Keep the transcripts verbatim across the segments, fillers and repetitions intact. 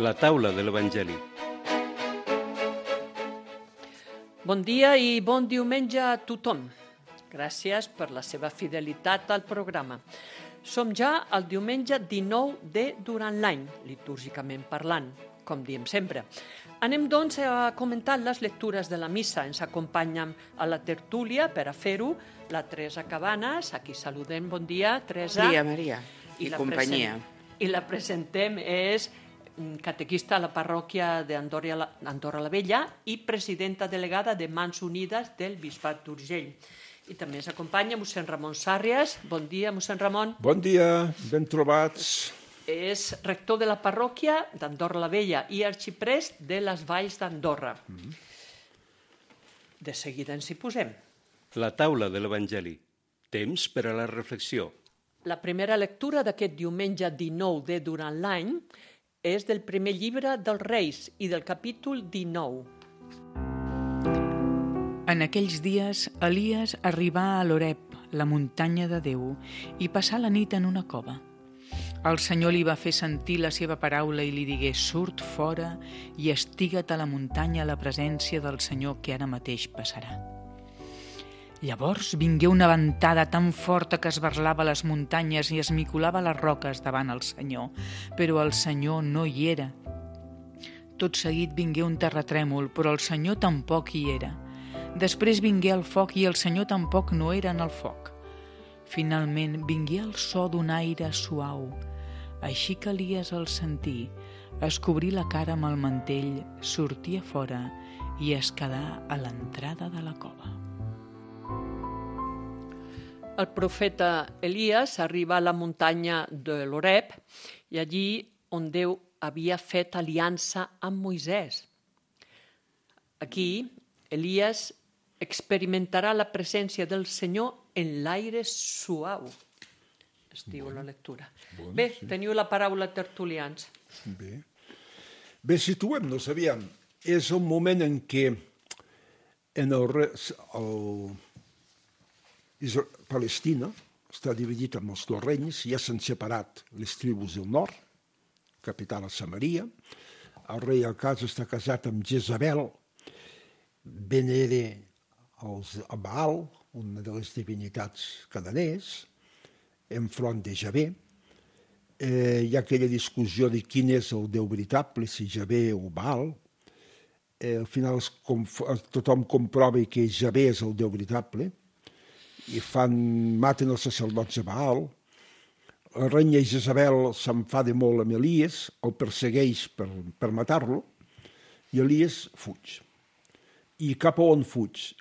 La taula de l'Evangeli. Bon dia i bon diumenge a tothom. Gràcies per la seva fidelitat al programa. Som ja al diumenge dinou de durant l'any, litúrgicament parlant, com diem sempre. Anem, doncs, a comentar les lectures de la missa. Ens acompanyen a la tertúlia per a fer-ho la Teresa Cabanes. Aquí saludem. Bon dia, Teresa. Bon dia, Maria, i, I companyia. Present... I la presentem, és catequista a la parròquia d'Andorra la Vella i presidenta delegada de Mans Unides del Bisbat d'Urgell. I també ens acompanya mossèn Ramon Sàrries. Bon dia, mossèn Ramon. Bon dia, ben trobats. És rector de la parròquia d'Andorra la Vella i arxiprest de les Valls d'Andorra. Mm-hmm. De seguida ens hi posem. La taula de l'Evangeli. Temps per a la reflexió. La primera lectura d'aquest diumenge dinou de durant l'any és del primer llibre dels Reis i del capítol dinou. En aquells dies, Elies arribà a l'Oreb, la muntanya de Déu, i passà la nit en una cova. El Senyor li va fer sentir la seva paraula i li digué: surt fora i estiga't a la muntanya a la presència del Senyor que ara mateix passarà. Llavors vingué una ventada tan forta que esbarlava les muntanyes i esmicolava les roques davant el Senyor, però el Senyor no hi era. Tot seguit vingué un terratrèmol, però el Senyor tampoc hi era. Després vingué el foc i el Senyor tampoc no era en el foc. Finalment vingué el so d'un aire suau. Així que Elies el sentí, es cobrí la cara amb el mantell, sortí a fora i es quedà a l'entrada de la cova. El profeta Elies arriba a la muntanya de l'Oreb i allí on Déu havia fet aliança amb Moisès. Aquí, Elies experimentarà la presència del Senyor en l'aire suau. Es diu bon, la lectura. Bon, Bé, sí. Teniu la paraula, tertulians. Bé. Bé, situem-nos, aviam. És un moment en què en el, el Palestina està dividit en els dos regnes, ja s'han separat les tribus del nord, capital a Samaria. El rei Acaz està casat amb Jezabel, venera a Baal, una de les divinitats cananees, enfront de Javé. Eh, hi ha aquella discussió de quin és el déu veritable, si Javé o Baal. Eh, al final tothom comprova que Javé és el déu veritable i fan, maten els sacerdots a Baal. La reina Jezabel s'enfada molt amb Elies, el persegueix per, per matar-lo, i Elies fuig. I cap a on fuig?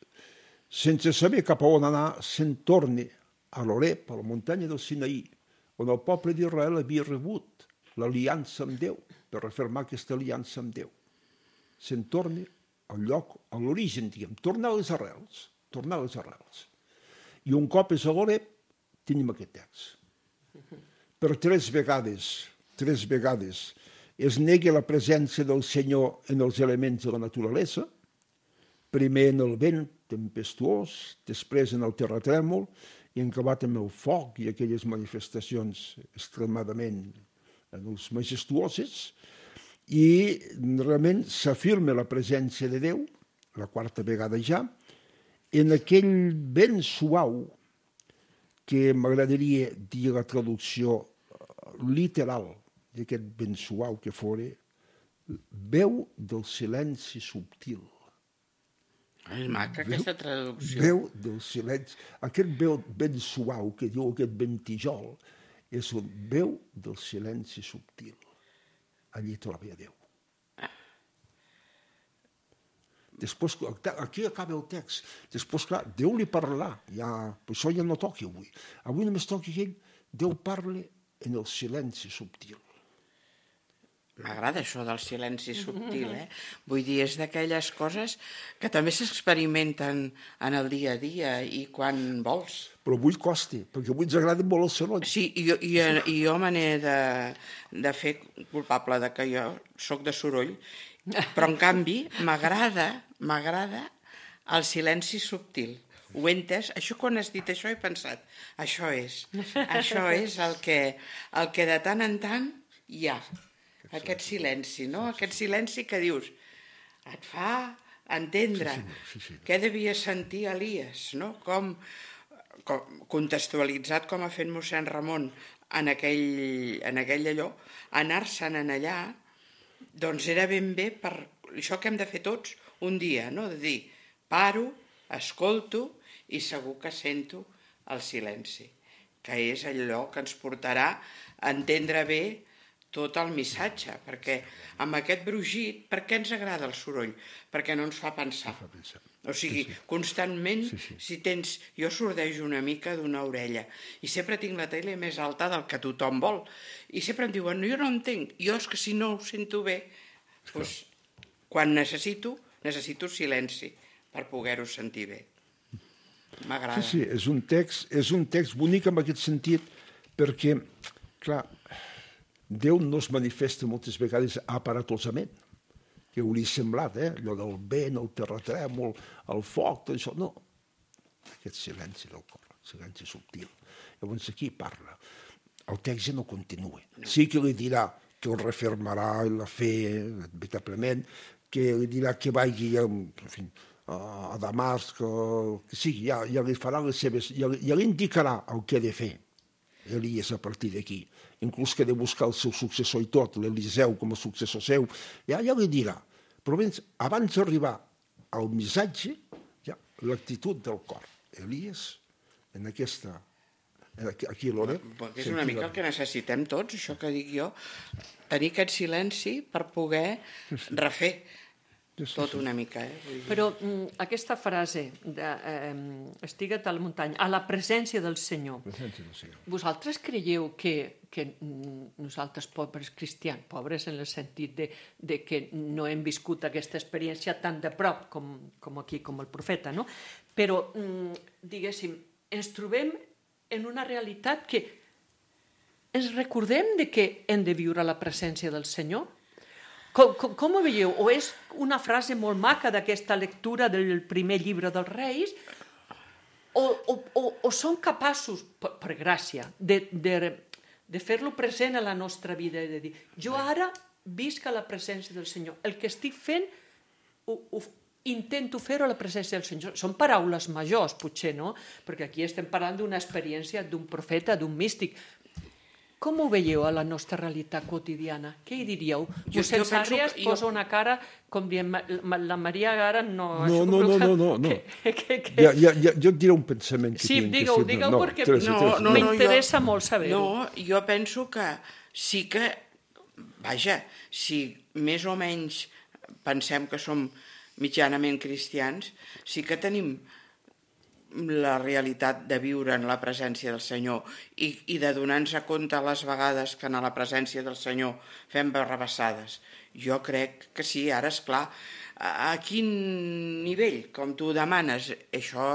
Sense saber cap a on anar, se'n torna a l'Oreb, a la muntanya del Sinaí, on el poble d'Israel havia rebut l'aliança amb Déu, per refermar aquesta aliança amb Déu. Se'n torna al lloc, a l'origen, diguem, tornar a les arrels, tornar a les arrels. I un cop és a l'Oreb, tenim aquest text. Per tres vegades, tres vegades, es nega la presència del Senyor en els elements de la naturalesa, primer en el vent tempestuós, després en el terratrèmol, i en acabat amb el foc i aquelles manifestacions extremadament majestuoses, i realment s'afirma la presència de Déu, la quarta vegada ja, en aquell vent suau, que m'agradaria dir la traducció literal d'aquest vent suau que fora, veu del silenci subtil. És maca aquesta traducció. Veu del silenci. Aquest veu ben suau que diu aquest ventijol és un veu del silenci subtil. Allí troba Déu. Després, aquí acaba el text. Després, clar, Déu li parlarà. Ja, per això ja no toqui avui. Avui només toqui que Déu parla en el silenci subtil. M'agrada això del silenci subtil, eh? Vull dir, és d'aquelles coses que també s'experimenten en el dia a dia i quan vols. Però avui costa, perquè avui ens agrada molt el soroll. Sí, i, i, i jo me n'he de, de fer culpable de que jo sóc de soroll, però en canvi m'agrada, m'agrada el silenci subtil. Ho he entès? Això, quan has dit això, he pensat, això és, això és el que, el que de tant en tant hi ha. aquest silenci, no? Aquest silenci que dius, et fa entendre Sí, sí, sí, sí. què devia sentir Elies, no? Com, com contextualitzat com ha fet mossèn Ramon en aquell, en aquell allò, anar-se'n en allà, doncs era ben bé per això que hem de fer tots un dia, no? De dir, paro, escolto i segur que sento el silenci, que és allò que ens portarà a entendre bé tot el missatge, perquè amb aquest brugit, per què ens agrada el soroll? Perquè no ens fa pensar. Fa pensar. O sigui, Sí, sí. constantment, Sí, sí. si tens... Jo sordejo una mica d'una orella i sempre tinc la tele més alta del que tothom vol. I sempre em diuen, no, jo no entenc. Jo és que si no ho sento bé, doncs, quan necessito, necessito silenci per poder-ho sentir bé. M'agrada. Sí, sí, és un text, és un text bonic en aquest sentit, perquè, clar, Déu no es manifesta moltes vegades aparatosament, que hauria semblat, eh? Allò del vent, el terratrèmol, el foc, tot això, no. Aquest silenci del cor, silenci subtil. Llavors aquí parla. El text ja no continua. Sí que li dirà que el refermarà i la fe, veritablement, que li dirà que vagi a, en fi, a Damasc, que sigui, ja, ja li farà les seves, ja, ja li indicarà el que ha de fer. Elies a partir d'aquí, inclús que ha de buscar el seu successor i tot, l'Eliseu com a successor seu, ja, ja li dirà. Però abans, abans d'arribar al missatge, ja, l'actitud del cor. Elies, en aquesta, aquí a l'Oreb... És una mica el que necessitem tots, això que dic jo, tenir aquest silenci per poder refer tot una mica. Eh? Vull dir... Però mm, aquesta frase, de, eh, estigua't a la muntanya, a la presència del Senyor, Presència del Senyor. vosaltres creieu que, que mm, nosaltres, pobres cristians, pobres en el sentit de, de que no hem viscut aquesta experiència tan de prop com, com aquí, com el profeta, no? Però, mm, diguéssim, ens trobem en una realitat que ens recordem de que hem de viure la presència del Senyor? Com, com, com ho veieu? O és una frase molt maca d'aquesta lectura del primer llibre dels Reis, o, o, o, o som capaços, per, per gràcia, de, de, de fer-lo present a la nostra vida i de dir, jo ara visc a la presència del Senyor. El que estic fent, ho, ho, intento fer-ho a la presència del Senyor. Són paraules majors, potser, no? Perquè aquí estem parlant d'una experiència d'un profeta, d'un místic. Com ho veieu a la nostra realitat quotidiana? Què hi diríeu? Jo- Josep jo penso Sàrries que jo- posa una cara com dient, "Ma- la la Maria ara no... No, això no, crec no, que- no, no, no. Que, que, que... Ja, ja, ja, jo et diré un pensament que Sí, tinc. digue-ho, que sí, digue-ho, no, perquè Teresa, No, Teresa, no, m'interessa jo- molt saber-ho. No, jo penso que sí que, vaja, si més o menys pensem que som mitjanament cristians, sí que tenim la realitat de viure en la presència del Senyor i, i de donar-nos a compte a les vegades que en la presència del Senyor fem barrabassades. Jo crec que sí, ara és clar. A, a quin nivell, com tu demanes, això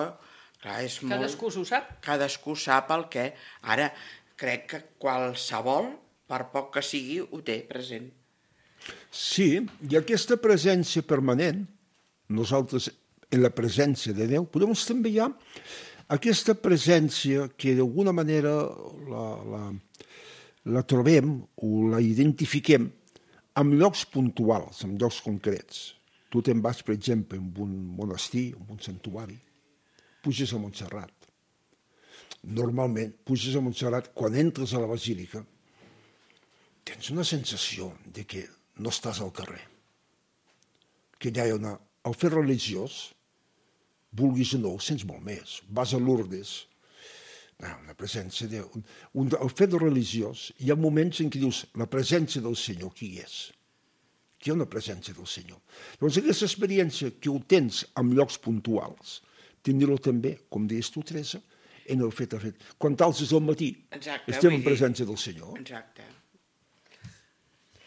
clar, és molt... Cadascú s'ho sap. Cadascú sap el que... Ara, crec que qualsevol, per poc que sigui, ho té present. Sí, i aquesta presència permanent, nosaltres en la presència de Déu, podem també hi ha aquesta presència que d'alguna manera la, la, la trobem o la identifiquem en llocs puntuals, en llocs concrets. Tu te'n vas, per exemple, en un monestir, en un santuari, puges a Montserrat. Normalment, puges a Montserrat, quan entres a la basílica, tens una sensació de que no estàs al carrer. Que hi ha una... El fet religiós, vulguis o no, ho sents molt més. Vas a Lourdes, no, la presència de... Un, el fet religiós, hi ha moments en què dius, la presència del Senyor, qui és? Qui hi ha una presència del Senyor? Llavors, aquesta experiència que ho tens en llocs puntuals, tindre-ho també, com deies tu, Teresa, en el fet a fet. Quan t'alces al matí, Exacte, estem vull en dir- presència del Senyor. Exacte.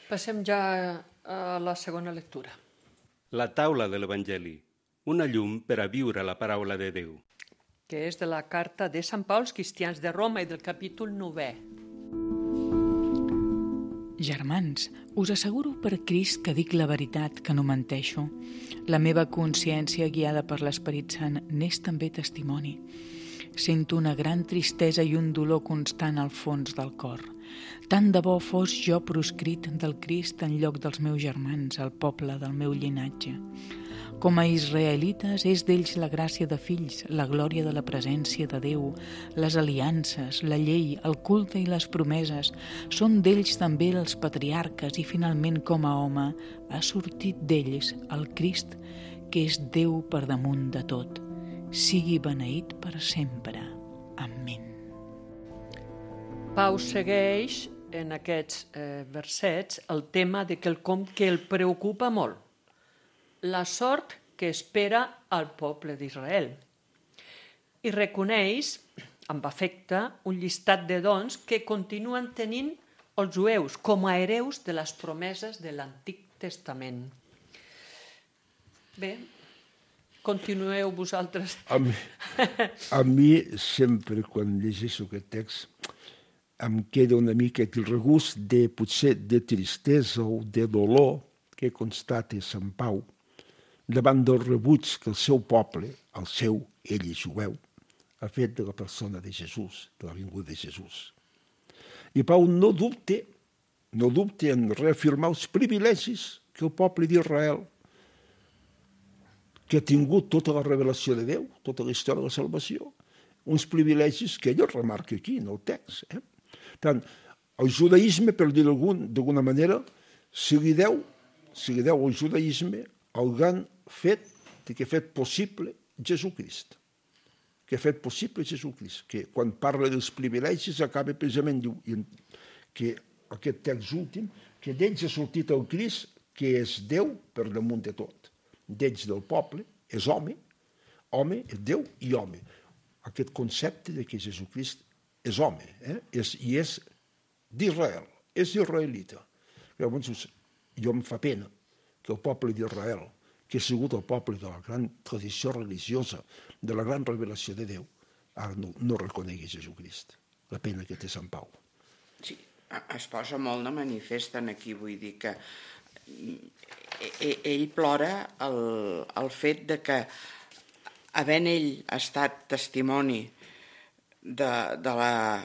Passem ja a la segona lectura. La taula de l'Evangeli, una llum per a viure la paraula de Déu. Que és de la carta de Sant Pau als cristians de Roma i del capítol novè. Germans, us asseguro per Crist que dic la veritat, que no menteixo. La meva consciència, guiada per l'Esperit Sant, n'és també testimoni. Sento una gran tristesa i un dolor constant al fons del cor. Tant de bo fos jo proscrit del Crist en lloc dels meus germans, el poble del meu llinatge. Com a israelites, és d'ells la gràcia de fills, la glòria de la presència de Déu, les aliances, la llei, el culte i les promeses. Són d'ells també els patriarques i, finalment, com a home, ha sortit d'ells el Crist, que és Déu per damunt de tot. Sigui beneït per sempre. Amén. Pau segueix en aquests eh, versets el tema de quelcom que el preocupa molt, la sort que espera al poble d'Israel. I reconeix, amb afecte, un llistat de dons que continuen tenint els jueus com a hereus de les promeses de l'Antic Testament. Bé, continueu vosaltres. A mi, a mi sempre, quan llegeixo aquest text, em queda una mica el regust de, potser, de tristesa o de dolor que constata Sant Pau davant del rebuig que el seu poble, el seu, ell és jueu, ha fet de la persona de Jesús, de la vinguda de Jesús. I Pau no dubte, no dubte en reafirmar els privilegis que el poble d'Israel, que ha tingut tota la revelació de Déu, tota la història de la salvació, uns privilegis que ell remarca aquí, en el text. Eh? Tant, el judaïsme, per dir-ho d'alguna manera, si li deu, si li deu al judaïsme el gran fet que ha fet possible Jesucrist, que ha fet possible Jesucrist, que quan parla dels privilegis acaba precisament diu que aquest text últim, que d'ells ha sortit el Crist, que és Déu per damunt de tot. D'ells del poble és home, home és Déu i home. Aquest concepte de que Jesucrist és home, eh? és, i és d'Israel, és israelita. Llavors, jo em fa pena que el poble d'Israel, que ha sigut el poble de la gran tradició religiosa, de la gran revelació de Déu, ara no, no reconegui Jesucrist. La pena que té Sant Pau. Sí, es posa molt de manifest aquí, vull dir que ell plora el, el fet de que, havent ell estat testimoni de, de, la,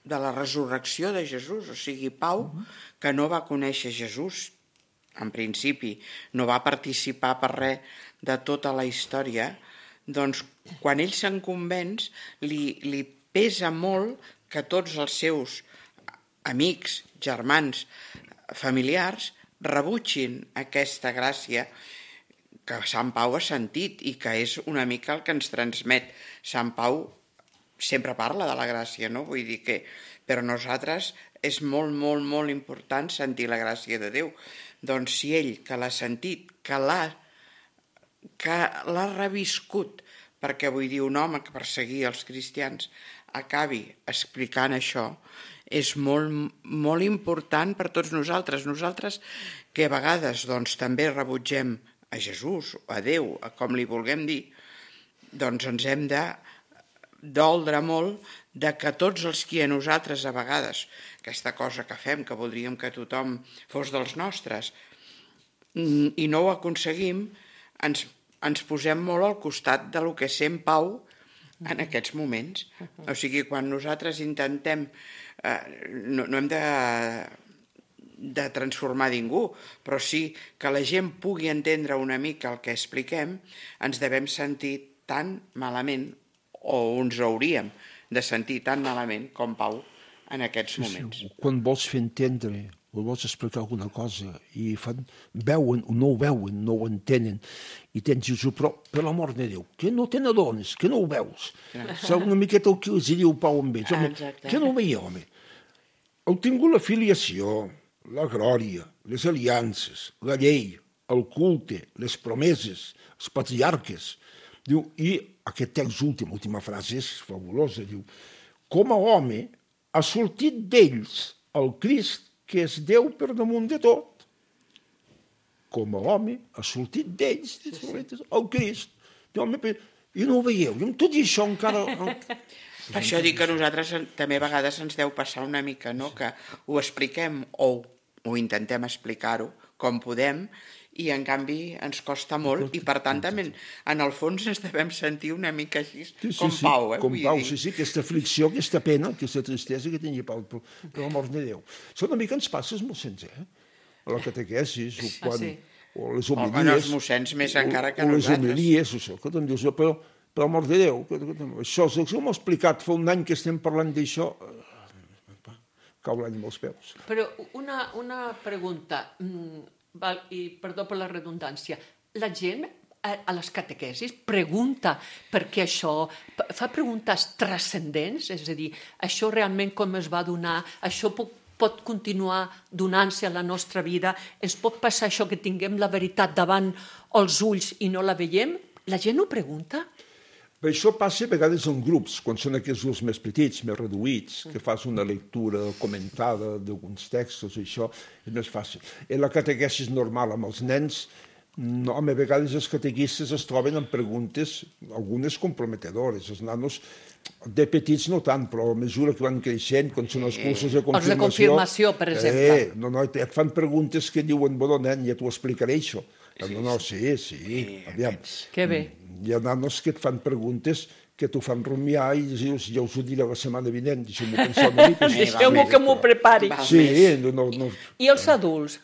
de la resurrecció de Jesús, o sigui, Pau, que no va conèixer Jesús, en principi, no va participar per res de tota la història, doncs quan ell se'n convenç li, li pesa molt que tots els seus amics, germans, familiars rebutgin aquesta gràcia que Sant Pau ha sentit i que és una mica el que ens transmet. Sant Pau sempre parla de la gràcia, no? Vull dir que per nosaltres és molt, molt, molt important sentir la gràcia de Déu. Doncs si ell, que l'ha sentit, que l'ha que l'ha reviscut, perquè vull dir, un home que perseguia els cristians acabi explicant això, és molt, molt important per tots nosaltres. Nosaltres que a vegades doncs, també rebutgem a Jesús, a Déu, a com li vulguem dir, doncs ens hem de doldre molt de que tots els qui a nosaltres a vegades, aquesta cosa que fem, que voldríem que tothom fos dels nostres, i no ho aconseguim, ens, ens posem molt al costat de lo que sent Pau en aquests moments. O sigui, quan nosaltres intentem, eh, no, no hem de, de transformar ningú, però sí que la gent pugui entendre una mica el que expliquem, ens devem sentir tan malament, o ens hauríem de sentir tan malament com Pau en aquests moments. Sí, sí. Quan vols fer entendre o vols explicar alguna cosa i fan, veuen o no ho veuen, no ho entenen, i tens Jesús, però per l'amor de Déu, que no te n'adones, que no ho veus. És una miqueta el que els diu Pau amb ells, home, que no ho veia, home. Heu tingut la filiació, la glòria, les aliances, la llei, el culte, les promeses, els patriarques. Diu, i aquest text últim, última frase és fabulosa, diu, com a home ha sortit d'ells el Crist, que és Déu per damunt de tot. Com a home ha sortit d'ells el Crist. I no ho veieu, i amb tot i això encara... Per això dic que nosaltres també a vegades ens deu passar una mica, no? Que ho expliquem o ho intentem explicar-ho com podem i en canvi ens costa molt i per tant també en el fons ens devem sentir una mica així sí, sí, com sí, Pau, eh? Com Vull Pau, dir. sí, sí, aquesta aflicció, aquesta pena, aquesta tristesa que tenia Pau, per, per l'amor de Déu. Això una mica ens passa als mossens, eh? A la catequesis, o, quan, Ah, sí? o les O homilies... en els mossens més encara que o, o les nosaltres. homilies, això, que te'n dius, però, per l'amor de Déu, que, que, això, això m'ho ha explicat fa un any que estem parlant d'això, cau l'ànima als peus. Però una, una pregunta, mm, val, i perdó per la redundància, la gent a, a les catequesis pregunta perquè això, fa preguntes transcendents, és a dir, això realment com es va donar, això pot, pot continuar donant-se a la nostra vida, ens pot passar això que tinguem la veritat davant els ulls i no la veiem? La gent ho pregunta? Però això passa a vegades en grups, quan són aquests grups més petits, més reduïts, que fas una lectura comentada d'alguns textos, això és més fàcil. En la catequesis normal amb els nens, no, a vegades els catequistes es troben amb preguntes, algunes comprometedores. Els nanos de petits no tant, però a mesura que van creixent, quan són els cursos de confirmació... Els de confirmació, per exemple. Eh, no, no, et fan preguntes que diuen, bueno, nen, ja t'ho explicaré, això. No, no, sí, sí, aviam. Que bé. Hi ha nanos que et fan preguntes que t'ho fan rumiar i dius, ja us ho diré la setmana vinent, deixeu-m'ho pensar una mica. Deixeu-m'ho que m'ho prepari. Val Sí, més. no, no, I els adults?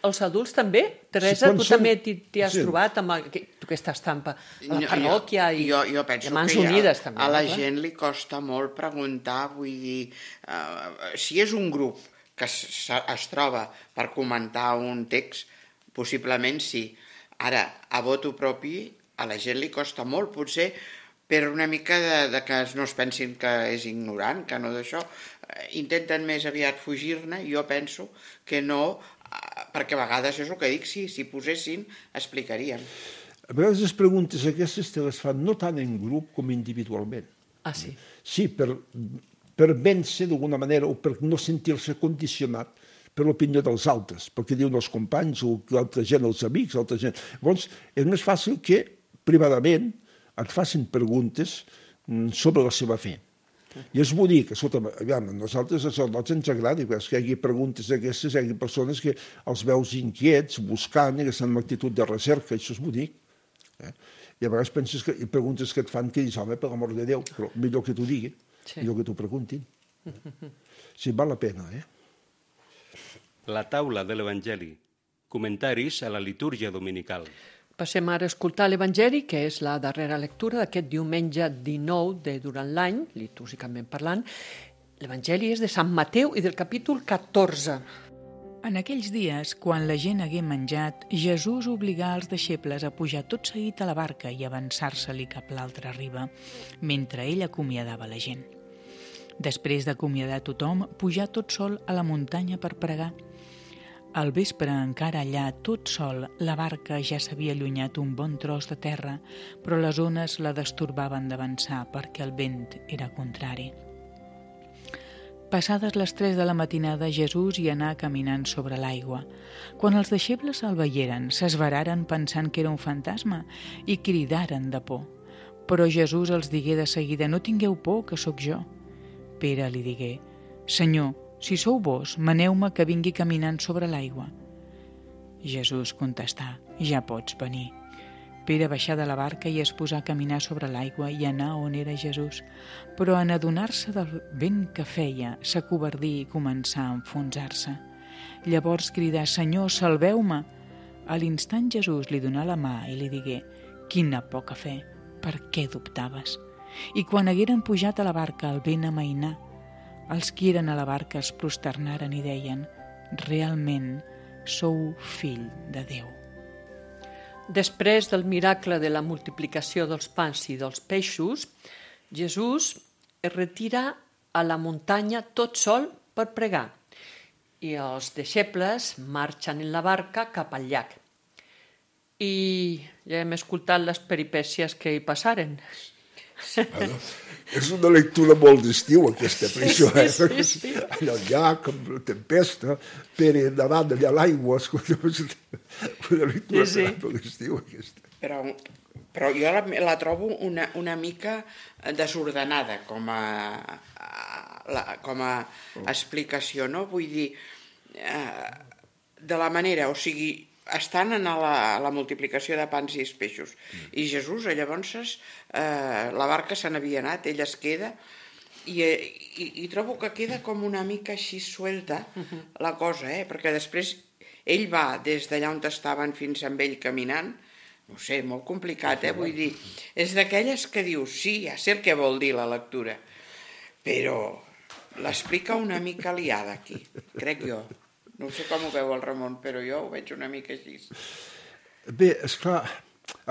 Els adults també? Teresa, quan tu són- també t'hi t'hi has sí. trobat amb el, que, tu que estàs tan a la Jo- parròquia i, jo, jo penso i a Mans que Unides ja, també. a la no? gent li costa molt preguntar, vull dir, uh, si és un grup que es, es troba per comentar un text, possiblement sí. Ara, a voto propi, a la gent li costa molt, potser per una mica de, de que no es pensin que és ignorant, que no d'això, eh, intenten més aviat fugir-ne, jo penso que no, eh, perquè a vegades és el que dic, sí, si posessin, explicaríem. A vegades les preguntes aquestes te les fan no tant en grup com individualment. Ah, sí. Sí, per, per vèncer d'alguna manera o per no sentir-se condicionat per l'opinió dels altres, perquè diuen els companys o l'altra gent, els amics, l'altra gent. Llavors, és més fàcil que privadament et facin preguntes sobre la seva fe. I és bonic, escolta, aviam, a nosaltres als sacerdots ens agrada que hi hagi preguntes d'aquestes, hi hagi persones que els veus inquiets, buscant, i que estan en actitud de recerca, això és bonic. Eh? I a vegades penses que, i preguntes que et fan que dius, home, per l'amor de Déu, però millor que t'ho diguin, Sí. millor que t'ho preguntin. Sí, val la pena, eh? La taula de l'Evangeli. Comentaris a la litúrgia dominical. Passem ara a escoltar l'Evangeli, que és la darrera lectura d'aquest diumenge dinou de durant l'any, litúrgicament parlant. L'Evangeli és de Sant Mateu i del capítol catorze. En aquells dies, quan la gent hagué menjat, Jesús obligà els deixebles a pujar tot seguit a la barca i avançar-se-li cap a l'altra riba, mentre ell acomiadava la gent. Després d'acomiadar tothom, pujà tot sol a la muntanya per pregar. Al vespre, encara allà, tot sol, la barca ja s'havia allunyat un bon tros de terra, però les ones la destorbaven d'avançar perquè el vent era contrari. Passades les tres de la matinada, Jesús hi anà caminant sobre l'aigua. Quan els deixebles el veieren, s'esveraren pensant que era un fantasma i cridaren de por. Però Jesús els digué de seguida, no tingueu por, que sóc jo. Pere li digué, Senyor, si sou vos, maneu-me que vingui caminant sobre l'aigua. Jesús contestà, ja pots venir. Pere baixà de la barca i es posà a caminar sobre l'aigua i anà on era Jesús, però en adonar-se del vent que feia, s'acovardí i començà a enfonsar-se. Llavors cridà, Senyor, salveu-me! A l'instant Jesús li donà la mà i li digué, quina poca fe, per què dubtaves? I quan hagueren pujat a la barca, el vent amainà. Els qui eren a la barca es prosternaren i deien, realment sou fill de Déu. Després del miracle de la multiplicació dels pans i dels peixos, Jesús es retira a la muntanya tot sol per pregar i els deixebles marxen en la barca cap al llac. I ja hem escoltat les peripècies que hi passaren. Bueno, és una lectura molt d'estiu, aquesta, per això, eh? Sí, sí, sí. Allà al llac, amb la tempesta, Pere nedant allà a l'aigua, escolta, una lectura Sí, sí. molt d'estiu, aquesta. Però, però jo la, la trobo una, una mica desordenada com a, a, la, com a explicació, no? Vull dir, eh, de la manera, o sigui, estan en la, la multiplicació de pans i peixos. Mm. I Jesús, llavors, eh, la barca se n'havia anat, ell es queda, i, i, i trobo que queda com una mica així suelta uh-huh. la cosa, eh? Perquè després ell va des d'allà on estaven fins amb ell caminant, no sé, molt complicat, eh? Vull dir, és d'aquelles que dius, sí, ja sé el que vol dir la lectura, però l'explica una mica liada aquí, crec jo. No sé com ho veu el Ramon, però jo ho veig una mica així. Bé, esclar,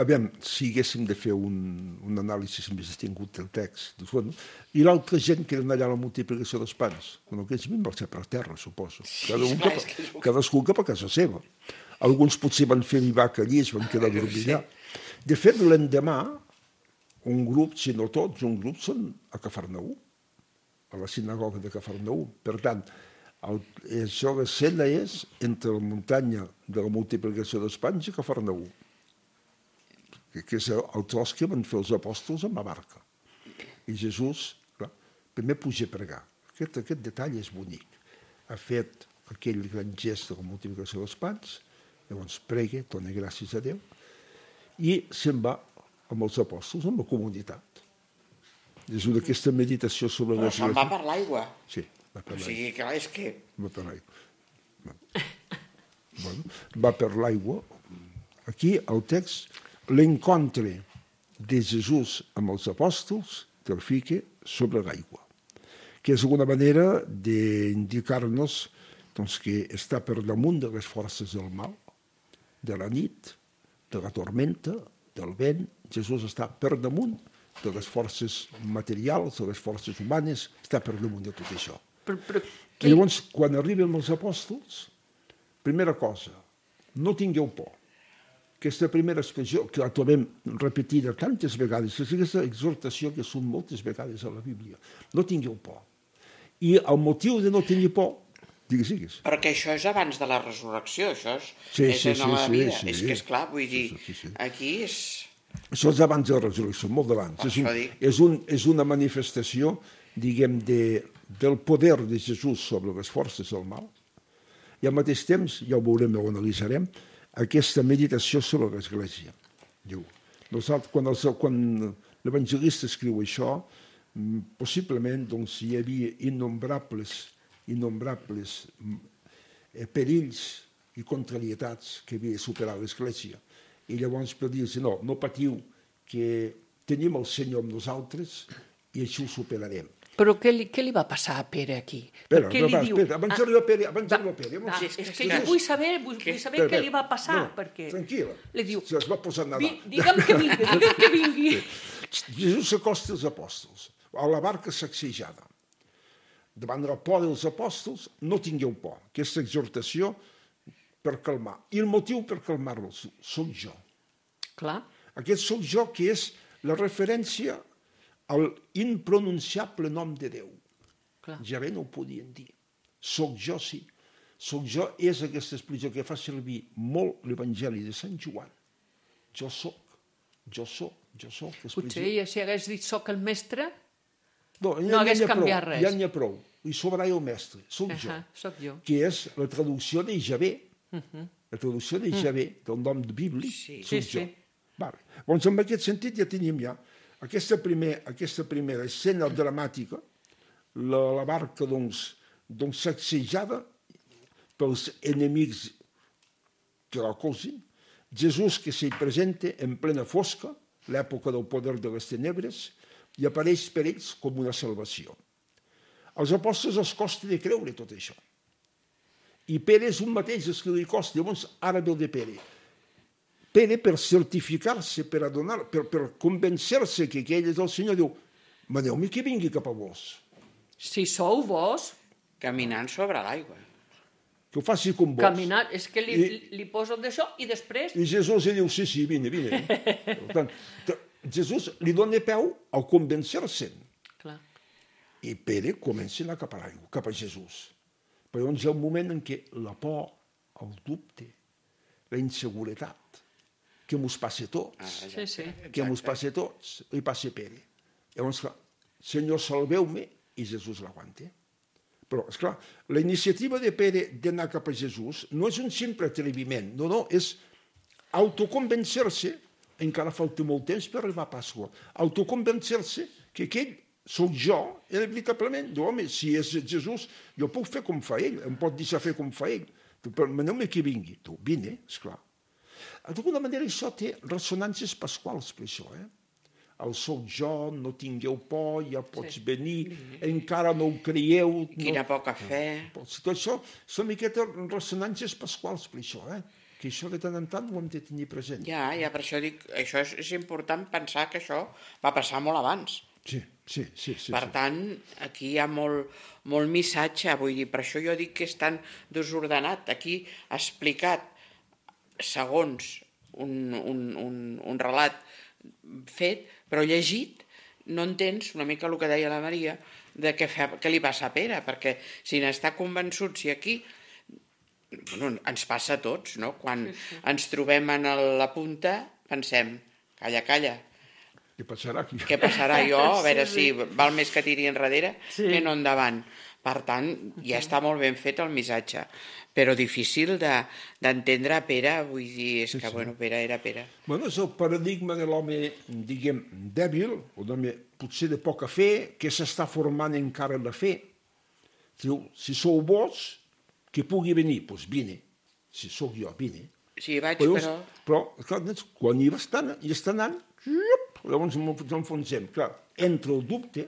aviam, si haguéssim de fer un, un anàlisi més distingut del text, doncs, bueno, i l'altra gent que eren allà a la multiplicació dels pans, bueno, aquells van marxar per terra, suposo. Cada un cap, cadascú cap a casa seva. Alguns potser van fer vivac allí, es van quedar a dormir allà. De fet, l'endemà, un grup, si no tots, un grup són a Cafarnaú, a la sinagoga de Cafarnaú. Per tant, el, això, l'escena és entre la muntanya de la multiplicació dels pans i Cafarnaú, que, que és el tros que van fer els apòstols amb la barca. I Jesús, clar, primer puja a pregar. Aquest, aquest detall és bonic. Ha fet aquell gran gest de la multiplicació dels pans, llavors prega, dona gràcies a Déu, i se'n va amb els apòstols, amb la comunitat. És una aquesta meditació sobre Però la... se'n va per l'aigua. Sí. Va per o sigui, clar, és que... Va per l'aigua. Bueno, va per l'aigua. Aquí, el text, l'encontre de Jesús amb els apòstols te'l fica sobre l'aigua, que és una manera d'indicar-nos doncs, que està per damunt de les forces del mal, de la nit, de la tormenta, del vent. Jesús està per damunt de les forces materials, de les forces humanes, està per damunt de tot això. Però, però, I llavors, quan arriben els apòstols, primera cosa, no tingueu por. Aquesta primera expressió, que la trobem repetida tantes vegades, és aquesta exhortació que són moltes vegades a la Bíblia. No tingueu por. I el motiu de no tenir por, digues, digues. Perquè això és abans de la resurrecció, això és, Sí, és sí, en la sí, vida. sí, és sí. que, esclar, vull dir, Sí, sí, sí. aquí és... Això és abans de la resurrecció, molt d'abans. Per És, un, això dic. és, un, és una manifestació, diguem, de, del poder de Jesús sobre les forces del mal, i al mateix temps, ja ho veurem, ho analitzarem, aquesta meditació sobre l'Església. Diu, nosaltres, quan, els, quan l'evangelista escriu això, possiblement doncs, hi havia innombrables, innombrables eh, perills i contrarietats que havia de superar l'Església. I llavors per dir-los, no, no patiu, que tenim el Senyor amb nosaltres i així ho superarem. Però què li, què li va passar a Pere aquí? Espera, Perquè li va, diu... espera, abans d'arribar a Pere, abans d'arribar a Pere... Va, Sí, és sí, que sí. jo vull saber, vull, vull saber Espera, què li va passar, no, perquè... tranquil·la, Li diu, se les va posar a "Vi- nedar. digue'm que vingui, digue'm que vingui. Jesús s'acosta als apòstols, a la barca sacsejada. Davant la por dels apòstols, no tingueu por. Aquesta exhortació per calmar. I el motiu per calmar-los soc jo. Clar, Aquest soc jo que és la referència al impronunciable nom de Déu. clar. Ja bé no ho podien dir. Soc jo, sí. Soc jo és aquesta expressió que fa servir molt l'Evangeli de Sant Joan. Jo soc, jo soc, jo soc. Potser ja si hagués dit soc el mestre, no, ja, no hagués ja canviat prou, res. Ja n'hi ha prou. I sobrà el mestre, soc jo. uh-huh, soc jo. Que és la traducció de Javé. Uh-huh. La traducció de Javé, del nom bíblic, Sí. soc Sí, jo. sí. Vale. Doncs en aquest sentit ja tenim ja aquesta, primer, aquesta primera escena dramàtica, la, la barca doncs, doncs sacsejada pels enemics que la colzin, Jesús que s'hi presenta en plena fosca, l'època del poder de les tenebres, i apareix per ells com una salvació. Als apòstols els costa de creure tot això. I Pere és un mateix, és que li costa. Llavors, ara ve el de Pere. Pere, per certificar-se, per adonar, per, per convencer-se que aquell és el Senyor, diu, maneu-me que vingui cap a vos. Si sou vos, Caminant sobre l'aigua. Que ho faci com vos. caminat, és que li, I- li poso d'això i després... I Jesús li diu, sí, sí, vine, vine. Per tant, t- Jesús li dona peu al convencer-se'n. Clar. I Pere comença a anar cap a l'aigua, cap a Jesús. Però llavors hi ha un moment en què la por, el dubte, la inseguretat, que mos passa a tots, Sí, sí. que mos passa a tots, li passa a Pere. Llavors, clar, Senyor, salveu-me, i Jesús l'aguanta. Però, esclar, la iniciativa de Pere d'anar cap a Jesús no és un simple atreviment, no, no, és autoconvencer-se, encara falta molt temps per arribar a Pasqua, autoconvencer-se que aquell sóc jo, era veritablement, diu, home, si és Jesús, jo puc fer com fa ell, em pot deixar fer com fa ell, però maneu-me que vingui. Tu, vine, esclar. D'alguna manera això té ressonàncies pasquals per això, eh? El sóc jo, no tingueu por, ja pots sí. venir, encara no ho creieu. Quina no... poca fe. Tot això són miquetes ressonàncies pasquals per això, eh? Que això de tant en tant ho hem de tenir present. Ja, ja, per això dic, això és, és important pensar que això va passar molt abans. Sí, sí, sí. sí per sí. tant, aquí hi ha molt, molt missatge, vull dir, per això jo dic que és tan desordenat. Aquí ha explicat, segons un, un, un, un relat fet, però llegit, no entens una mica el que deia la Maria, de què, fa, què li passa a Pere, perquè si n'està convençut, si aquí... Bueno, ens passa a tots, no? Quan sí, sí. ens trobem en la punta, pensem, calla, calla, què passarà aquí? Què passarà jo? A veure sí, sí. si val més que tiri enrere sí. que no endavant. Per tant, ja està molt ben fet el missatge, però difícil d'entendre de, Pere, vull dir, és sí, que, sí. bueno, Pere era Pere. Bueno, és el paradigma de l'home, diguem, dèbil, o d'home potser de poca fe, que s'està formant encara la fe. Diu, si sou vos, que pugui venir, doncs vine. Si sóc jo, vine. Sí, vaig, però... però... Però, clar, quan hi va estar, hi està anant, llavors ens enfonsem. Clar, entra el dubte,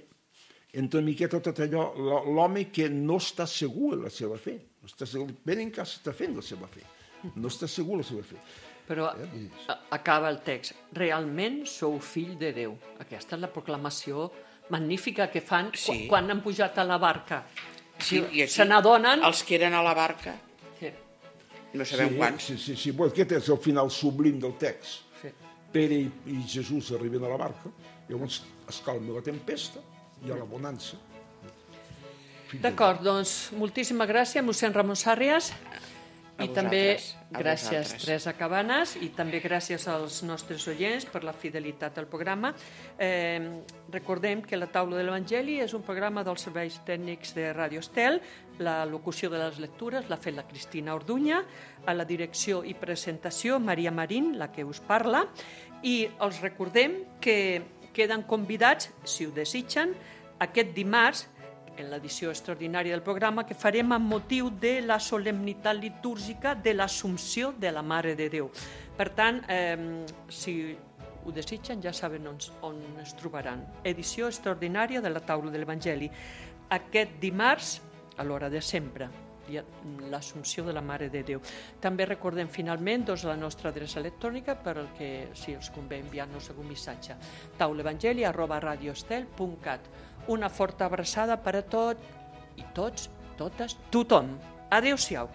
entra una miqueta tot allò, l'home que no està segur de la seva fe. No està segur, ben encara està fent la seva fe. No està segur de la seva fe. Però eh, acaba el text. Realment sou fill de Déu. Aquesta és la proclamació magnífica que fan sí. quan han pujat a la barca. Sí, i aquí, se n'adonen... Els que eren a la barca, sí. no sabem sí, quants. Sí, sí, sí. Bueno, aquest és el final sublim del text. Sí. Pere i, i Jesús arriben a la barca, llavors es calma la tempesta i hi ha la bonança. D'acord, doncs, moltíssima gràcies, mossèn Ramon Sàrrias. I també gràcies, Teresa Cabanes, i també gràcies als nostres oients per la fidelitat al programa. Eh, recordem que la taula de l'Evangeli és un programa dels serveis tècnics de Ràdio Estel. La locució de les lectures l'ha fet la Cristina Orduña, a la direcció i presentació Maria Marín, la que us parla, i els recordem que queden convidats, si ho desitgen, aquest dimarts, en l'edició extraordinària del programa, que farem amb motiu de la solemnitat litúrgica de l'Assumpció de la Mare de Déu. Per tant, eh, si ho desitgen, ja saben on, on es trobaran. Edició extraordinària de la taula de l'Evangeli. Aquest dimarts, a l'hora de sempre, l'Assumpció de la Mare de Déu. També recordem finalment doncs, la nostra adreça electrònica per al que, si els convé, enviar-nos algun missatge. taulaevangeli arroba radioestel punt cat. Una forta abraçada per a tot i tots, totes, tothom. Adéu-siau.